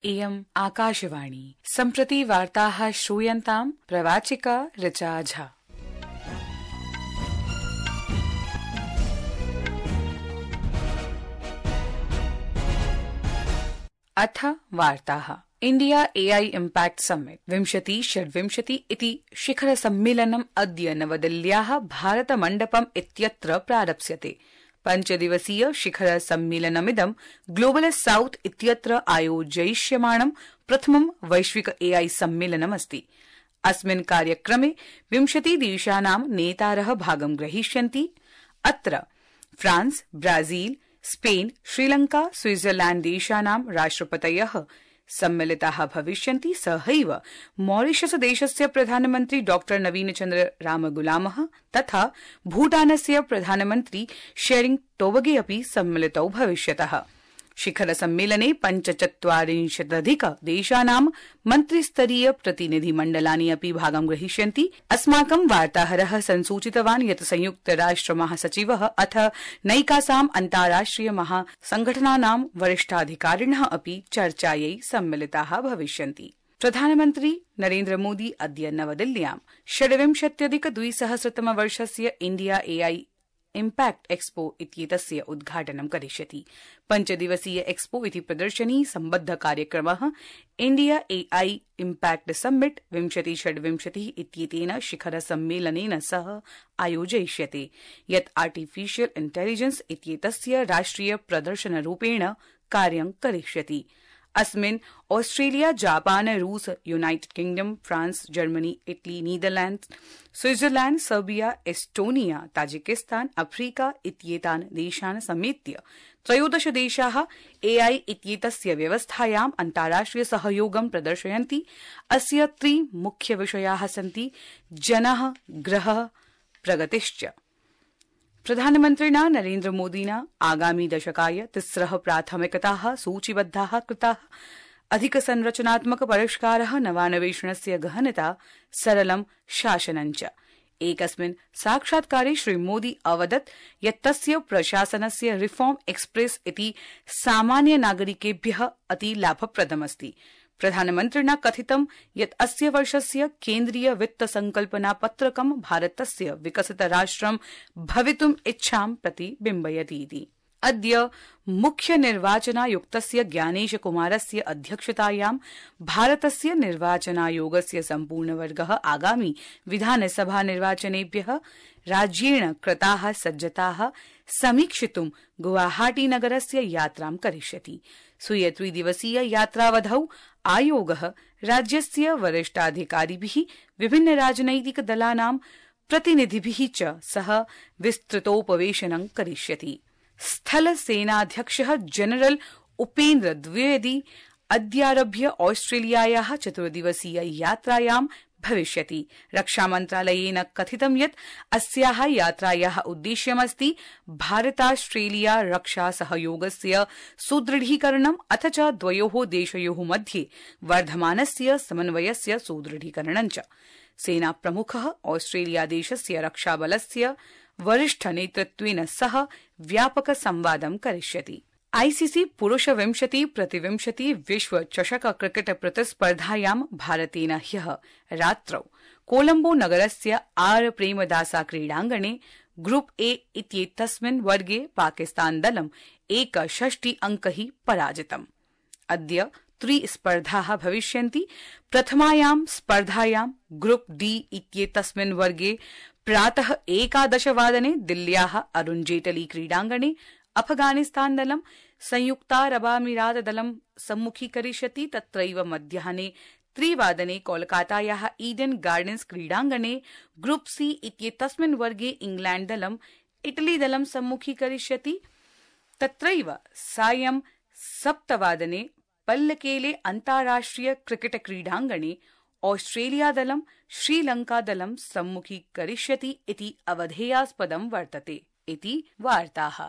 इयम् आकाशवाणी। सम्प्रति वार्ताः श्रूयन्ताम् प्रवाचिका ऋचा झा। अथ वार्ताः। इंडिया एआई इम्पैक्ट समिट 2026 इति शिखर सम्मेलनम् अद्य नवदिल्ल्याः भारत मण्डपम् इत्यत्र प्रारप्स्यते। पञ्चदिवसीय शिखर सम्मेलनमिदं ग्लोबल साउथ इत्यत्र आयोजयिष्यमाणं प्रथमं वैश्विक एआई सम्मेलनमस्ति। अस्मिन् कार्यक्रमे 20 देशानां नेतारः भागं ग्रहीष्यन्ति। अत्र France, Brazil, Spain, Sri Lanka, Switzerland देशानां राष्ट्रपतयः सम्मिलिताः भविष्यन्ति। सहैव मॉरिशस देशस्य प्रधानमन्त्री डॉ नवीन चन्द्र रामगुलामः तथा भूटानस्य प्रधानमन्त्री शेरिंग टोबगे अपि सम्मिलितौ भविष्यतः। शिखर सम्मेलने 45 देशानां मन्त्रिस्तरीय प्रतिनिधिमण्डलानि अपि भागं ग्रहीष्यन्ति। अस्माकं वार्ताहरः संसूचितवान् यत् संयुक्त राष्ट्र महासचिवः अथ नैकासां अन्ताराष्ट्रिय महासंघटनानां वरिष्ठाधिकारिणः अपि चर्चायै सम्मिलिताः भविष्यन्ति। प्रधानमन्त्री नरेन्द्र मोदी अद्य नवदिल्ल्यां 26+200 वर्षस्य इंडिया एआई इम्पैक्ट एक्सपो इत्येतस्य उद्घाटनं करिष्यति। पञ्चदिवसीय एक्सपो इति प्रदर्शनी सम्बद्ध कार्यक्रमः इंडिया एआई इम्पैक्ट समिट 2026 इत्येतेन शिखर सम्मेलनेन सह आयोजयिष्यते, यत् आर्टिफिशियल इंटेलिजेंस इत्येतस्य राष्ट्रिय प्रदर्शनरूपेण कार्यं करिष्यति। अस्मिन् ऑस्ट्रेलिया, जापान, रूस, United kingdom, France, Germany, Italy, Netherlands, Switzerland, Serbia, Estonia, Tajikistan, Africa इत्येतान् देशान् समेत्य 13 देशाः एआई इत्येतस्य व्यवस्थायाम् अन्ताराष्ट्रिय सहयोगं प्रदर्शयन्ति। अस्य 3 मुख्यविषयाः सन्ति: जनः, ग्रहः, प्रगतिश्च। प्रधानमन्त्रिणा नरेन्द्र मोदिना आगामी दशकाय 3 प्राथमिकताः सूचीबद्धाः कृताः: अधिकसंरचनात्मक परिष्कारः, नवान्वेषणस्य गहनता, सरलं शासनञ्च। एकस्मिन् साक्षात्कारे श्रीमोदी अवदत् यत् तस्य प्रशासनस्य रिफॉर्म एक्सप्रेस इति सामान्य नागरिकेभ्यः अति लाभप्रदमस्ति। प्रधानमन्त्रिणा कथितं यत् अस्य वर्षस्य केन्द्रीय वित्त संकल्पना पत्रकं भारतस्य विकसित राष्ट्रं भवितुम् इच्छां प्रतिबिम्बयति इति। अद्य मुख्य निर्वाचनायुक्तस्य ज्ञानेश कुमारस्य अध्यक्षतायां भारतस्य निर्वाचनायोगस्य सम्पूर्णवर्गः आगामी विधानसभा निर्वाचनेभ्यः राज्येण कृताः सज्जताः समीक्षितुं गुवाहाटी नगरस्य यात्रां करिष्यति। स्वीय 3 दिवसीय यात्रावधौ आयोगः राज्यस्य वरिष्ठाधिकारिभिः, विभिन्न राजनैतिक दलानां प्रतिनिधिभिः च सह विस्तृतोपवेशनं करिष्यति। स्थल सेनाध्यक्षः जनरल उपेन्द्र द्विवेदी अद्यारभ्य ऑस्ट्रेलियायाः 4 दिवसीय यात्रायां भविष्यति। रक्षामन्त्रालयेन कथितं यत् अस्याः यात्रायाः उद्देश्यमस्ति भारतास्ट्रेलिया रक्षा सहयोगस्य सुदृढीकरणम् अथ च द्वयोः देशयोः मध्ये वर्धमानस्य समन्वयस्य सुदृढीकरणञ्च। सेनाप्रमुखः ऑस्ट्रेलिया देशस्य रक्षाबलस्य वरिष्ठ नेतृत्वेन सह व्यापक संवादं करिष्यति। आईसीसी पुरुष 20x20 विश्व चषक क्रिकेट प्रतिस्पर्धायां भारतेन ह्यः रात्रौ कोलंबो नगरस्य आर प्रेमदासा क्रीडाङ्गणे ग्रुप ए इत्येतस्मिन् वर्गे पाकिस्तान दलं 61 अंकैः पराजितम्। अद्य 3 स्पर्धाः भविष्यन्ति। प्रथमायां स्पर्धायां ग्रुप डी इत्येतस्मिन् वर्गे प्रातः 11 वादने दिल्ल्याः अरुण जेटली क्रीडाङ्गणे अफगानिस्तान दलं संयुक्तारबामीरात दलं सम्मुखीकरिष्यति। तत्रैव मध्याह्ने 3 वादने कोलकातायाः ईडन गार्डन्स क्रीडाङ्गणे ग्रुप सी इत्येतस्मिन् वर्गे इंग्लैंड दलं इटली दलं सम्मुखीकरिष्यति। तत्रैव सायं 7 वादने पल्लकेले अन्ताराष्ट्रिय क्रिकेट क्रीडाङ्गणे ऑस्ट्रेलिया दलं श्रीलंका दलं सम्मुखीकरिष्यति इति अवधेयास्पदं वर्तते इति वार्ताः।